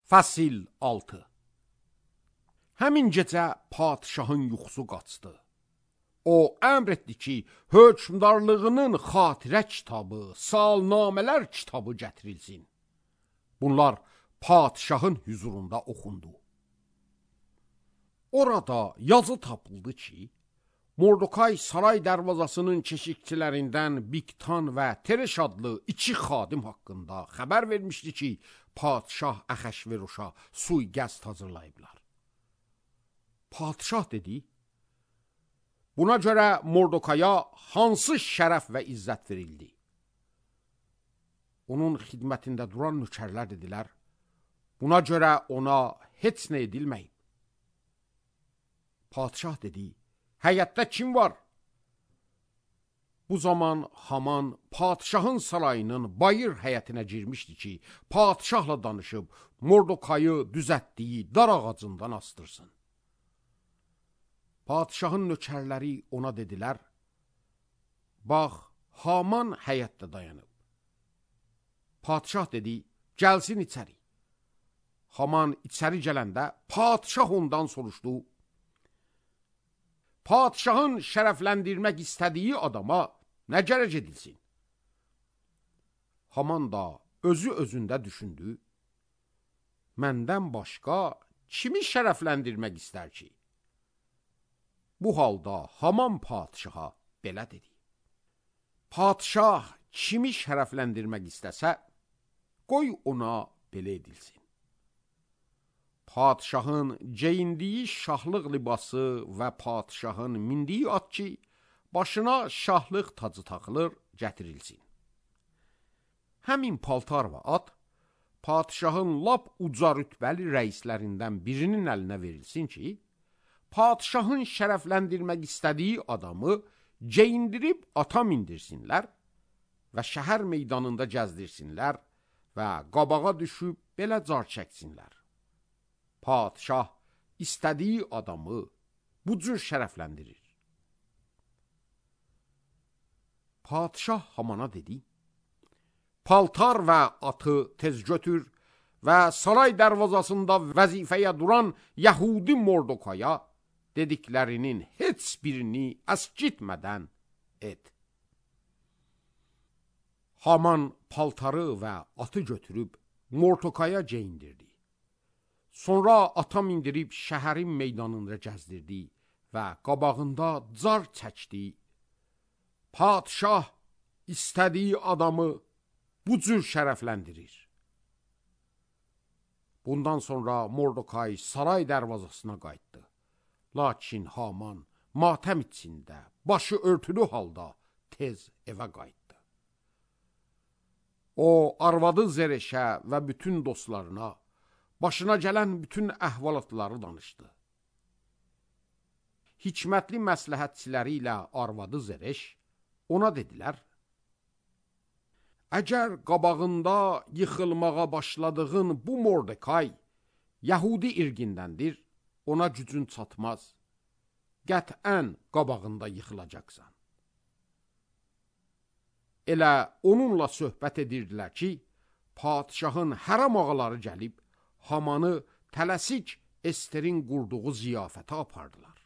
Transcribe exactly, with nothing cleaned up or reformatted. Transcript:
Fəsil altı. Həmin gecə padşahın yuxusu qaçdı. O əmr etdi ki, hökmdarlığının xatirə kitabı, salnamələr kitabı gətirilsin. Bunlar padşahın hüzurunda oxundu. Orada yazı tapıldı ki, Mordokay saray dərvazasının keşikçilərindən Bigtan və Tereş adlı iki xadim haqqında xəbər vermişdi ki, padşah Əhəşveroşa sui-qəsd hazırlayıblar. Padşah dedi, buna görə Mordokaya hansı şərəf və izzət verildi? Onun xidmətində duran nökərlər dedilər, buna görə ona heç nə edilməyib. Padşah dedi, həyətdə kim var? Bu zaman Haman padşahın sarayının bayır həyətinə girmişdi ki, padşahla danışıb Mordokayı düzətdiyi dar ağacından astırsın. Padşahın nökərləri ona dedilər, bax, Haman həyətdə dayanıb. Padşah dedi, gəlsin içəri. Haman içəri gələndə padşah ondan soruşdu, padşahın şərəfləndirmək istədiyi adama nə gərək edilsin? Haman da özü özündə düşündü, məndən başqa kimi şərəfləndirmək istər ki? Bu halda Haman padşaha belə dedi, padşah kimi şərəfləndirmək istəsə, qoy ona belə edilsin. Padşahın geyindiyi şahlıq libası və padşahın mindiyi at ki, başına şahlıq tacı taxılır, gətirilsin. Həmin paltar və at, padşahın lap uca rütbəli rəislərindən birinin əlinə verilsin ki, padşahın şərəfləndirmək istədiyi adamı geyindirib ata mindirsinlər və şəhər meydanında gəzdirsinlər və qabağa düşüb belə car çəksinlər. Padşah istədiyi adamı bu cür şərəfləndirir. Padşah Hamana dedi, paltar və atı tez götür və saray dərvazasında vəzifəyə duran Yəhudi Mordokaya dediklərinin heç birini əskitmədən et. Haman paltarı və atı götürüb Mordokaya geyindirdi. Sonra ata mindirib şəhərin meydanında gəzdirdi və qabağında car çəkdi. Padşah istədiyi adamı bu cür şərəfləndirir. Bundan sonra Mordokay saray dərvazasına qayıtdı. Lakin Haman matəm içində, başı örtülü halda tez evə qayıtdı. O, arvadı Zereşə və bütün dostlarına başına gələn bütün əhvalatları danışdı. Hikmətli məsləhətçiləri ilə arvadı Zereş ona dedilər, əgər qabağında yıxılmağa başladığın bu Mordekay Yəhudi irqindəndir, ona gücün çatmaz, qətən qabağında yıxılacaqsan. Elə onunla söhbət edirdilər ki, padşahın hərəm ağaları gəlib, Hamanı tələsik Esterin qurduğu ziyafətə apardılar.